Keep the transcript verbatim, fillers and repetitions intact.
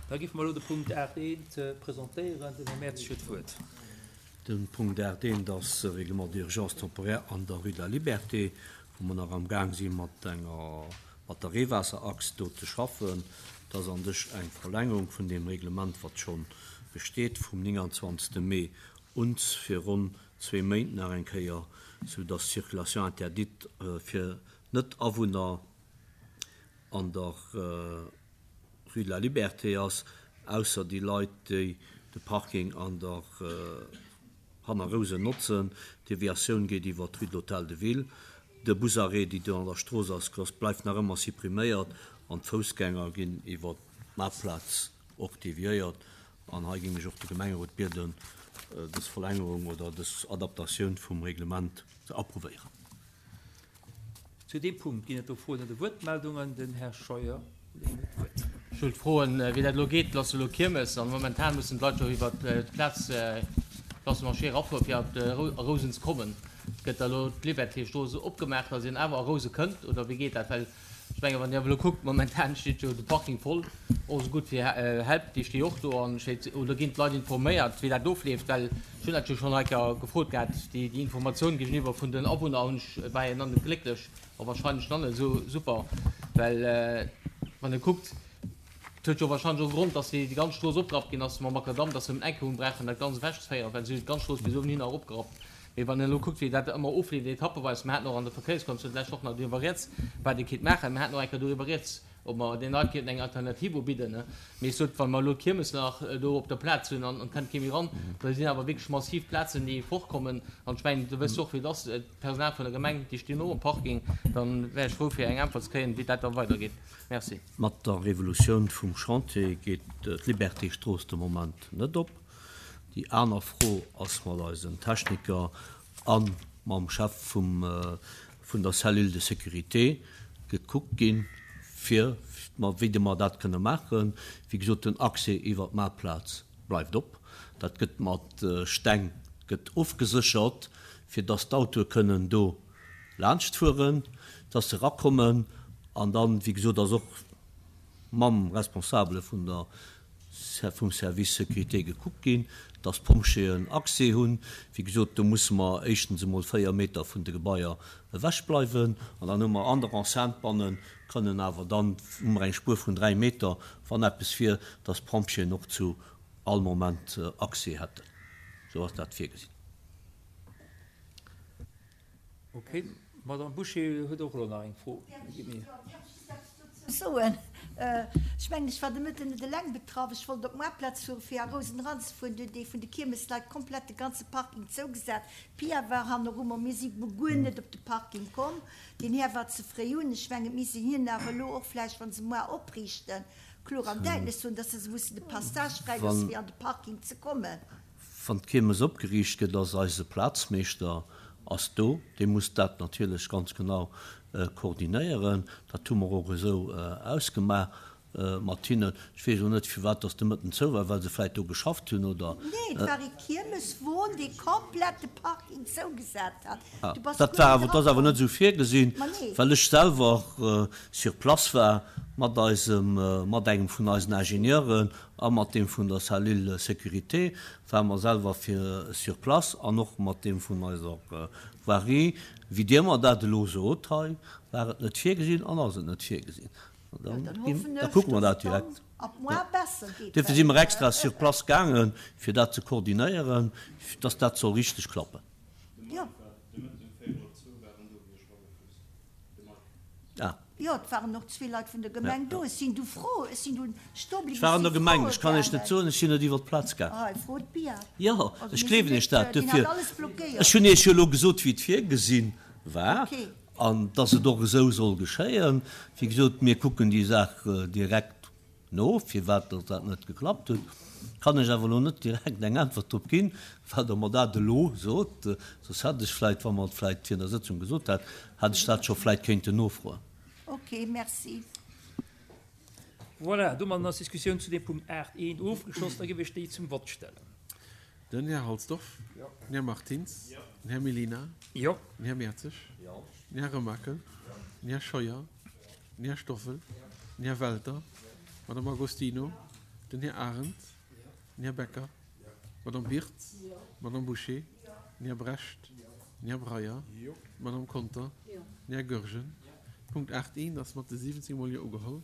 Da géife mer elo de Punkt aacht eent presentéieren. Den Här Mertzig huet d'Wuert. De Punkt aacht eent ass e Règlement d'urgence temporaire an der Rue de la Liberté, wou mer nach am Gaang si mat enger, mat der Reewaasserachs do ze schaffen. Dat ass an sech eng Verlängerung vun deem Reglement, wat scho besteet vum nénganzwanzegste Mee uns fir ronn zwee Méint nach eng Kéier, soudass d'Circulation interdite fir Net-Awunner an der Rue de la Liberté ass, ausser déi Leit, déi de Parking an der hanner Rousen notzen. D'Deviatioun geet iwwer d'Rue de l'Hôtel de Ville. De Busarrêt, déi do an der Strooss ass, bleift nach ëmmer suppriméiert an d'Foussgänger ginn iwwer d'Maartplaz och deviéiert. An hei géing ech och de Gemengerot bieden, dës Verlängerung oder dës Adaptatioun vum Reglement ze approuvéieren. Zu deem Punkt ginn et do Froen oder Wuertmeldungen. Den Här Scheuer huet d'Wuert. Ech wollt froen, wéi dat elo geet. Et ass jo elo Kiermes an momentan mussen d'Leit jo iwwer d'Plaz Place du Marché erafueren, fir a Rousen ze kommen. Gëtt da elo d'Liberté-Strooss opgemaach, datt een awer a Rouse kënnt, oder wéi geet dat? Well ech mengen, wann Dir awer elo kuckt, momentan steet jo de Parking voll, och esou gutt wéi Help, déi sti och do an steet. Oder ginn d'Leit informéiert, wéi dat ofleeft? Well ech hunn dat jo schonn heiker gefrot gehat, déi Informatioun géigeniwwer vun den Awunner hunn ech, war jo nach net glécklech a wahrscheinlech nach net esou super, well wann e kuckt, et huet jo wahrscheinlech och e Grond, dass déi ganz Strooss opgerappt ginn ass mam Makadamm, dass se nëmmen eng Kéier hunn brauchen dat Ganzt ewechzeféieren, well se hunn d'ganz Strooss bis uewenhinner eropgerappt. Mee wann een elo kuckt, wéi dat ëmmer ofleeft, etappeweis, mer haten och an der Verkéierskommissioun d'lescht Woch nach doriwwer rieds, wat ee kéint maachen, mer haten och eng Kéier doriwwer rieds, ob mer deene Leit kéinten eng Alternativ ubidden. Mee ech sot, wa mer elo d'Kiermes nach do op der Plaz hunn an et kënnt kee méi eran, da sinn awer wierklech massiv Plazen, déi fortkommen. An ech mengen, du wëss och, wéi et ass, d'Personal vun der Gemeng, déi stinn och um Parking. Da wär ech frou, fir eng Äntwert ze kréien, wéi dat da weidergeet. Merci. Mat der Revolutioun vum Chantier geet d'Liberté-Strooss de Moment net op. Déi aner Fro ass mat eisen Techniker a mam Chef vum vun der Cellule de sécurité gekuckt ginn, fir wéi de mer dat kënne maachen. Wéi gesot, den Accès iwwer d'Maartplaz bleift op. Dat gëtt mat Steng gëtt ofgeséchert, fir dass d'Autoe kënnen do laanscht fueren, dass se erakommen. An dann, wéi gesot, ass och mam Responsabele vun der, vum Service Sécurité gekuckt ginn, dass d'Pompjeeën Accès hunn. Wéi gesot, do musse mer éischtens emol véier Meter vun de Gebaier ewech bleiwen. An dann hu mer an der Enceinte bannen, kënnen awer dann, hu mer eng Spuer vun dräi Meter, wann eppes wier, dass d'Pompjeeën och zu all Moment Accès hätten. Esou ass dat virgesinn. Okay. D'Madame Bouché huet och elo nach eng Fro. Däerf ech just eppes dozou soen? Ech mengen, ech war de Mëtten net eleng betraff. Ech wollt op d'Moartplaz fueren, fir a Rousen eranzefueren. Do huet ee vun de Kiermesleit komplett de ganze Parking zougesat. D'Pia war hanneru mer. Mir si guer net op de Parking komm. Deen Här war ze fréi un. Ech mengen, et misst een hinnen awer elo och vläicht, wa se moar opriichten, kloer an däitlech soen, dass se mussen de Passage fräiloossen, fir an de Parking ze kommen. Wann d'Kiermes opgeriicht gëtt, ass eise Plazmeeschter ass do. Dee muss dat natierlech ganz genau koordinéieren. Dat hu mer och esou ausgemaach mat hinnen. Ech weess elo net, firwat dass de Mëtten zou war, well se vläicht do geschafft hunn oder. Nee, et war ee Kiermeswon, dee komplett de Parking zougesat hat. Du bass Dat guer war net awer, dat ass awer net erakomm. esou virgesinn, Ma nee. well ech selwer sur place war mat eisem, mat engem vun eisen Ingenieuren a mat deem vun der Cellule sécurité ware mer selwer fir sur place an och mat deem vun eiser Voirie. Wéi Dir mer dat elo sot hei, war et net virgesinn an ass et net virgesinn. Jo, dann hoffen Da ech, kucke mer dass dat et dann direkt. ab moar besser geet, Duerfir si well. mer extra sur place gaangen, fir dat ze koordinéieren, dass dat soll richteg klappen. Jo. Ah. Jo, et waren och zwee Leit vun der Gemeng do. Ech sinn du fro, ech sinn du stoe Ech bliwwen, war ech an der si Gemeng, froe ech kann Iech net gaangen. soen, ech sinn net iwwer d'Plaz gaangen. Hei, fro d'Pia. Jo, Also ech mir sinn gleewen Iech net, dat. deen hat Duerfir, alles ech blockéiert. hunn Iech jo elo gesot, wéi et virgesinn war Okay. an dass et och esou soll geschéien. Wéi gesot, mir kucken déi Saach direkt no, firwat dass dat net geklappt huet. Kann ech awer elo net direkt eng Äntwert drop ginn, well Der mer dat elo sot. Soss hätt ech vläicht, wa mer et vläicht virun der Sëtzung gesot hätt, hätt ech dat scho vläicht kéinten nofroen. Ok, merci. Voilà, domadden ass d'Diskussioun zu deem Punkt aacht eent ofgeschloss. Da géif ech déi zum Vott stellen. Den Här Halsdorf, den Här Martins, den Här Mellina, den Här Mertzig, den Här Remakel, den Här Scheuer, den Här Stoffel, den Här Welter, d'Madame Agostino, Den Här Arendt. Den Här Becker. D'Madame Birtz. D'Madame Bouché. Den Här Brecht. Den Här Breyer. D'Madame Conter. Den Här Goergen. Punkt aacht eent ass mat de siwwenzéng mol Jo ugeholl.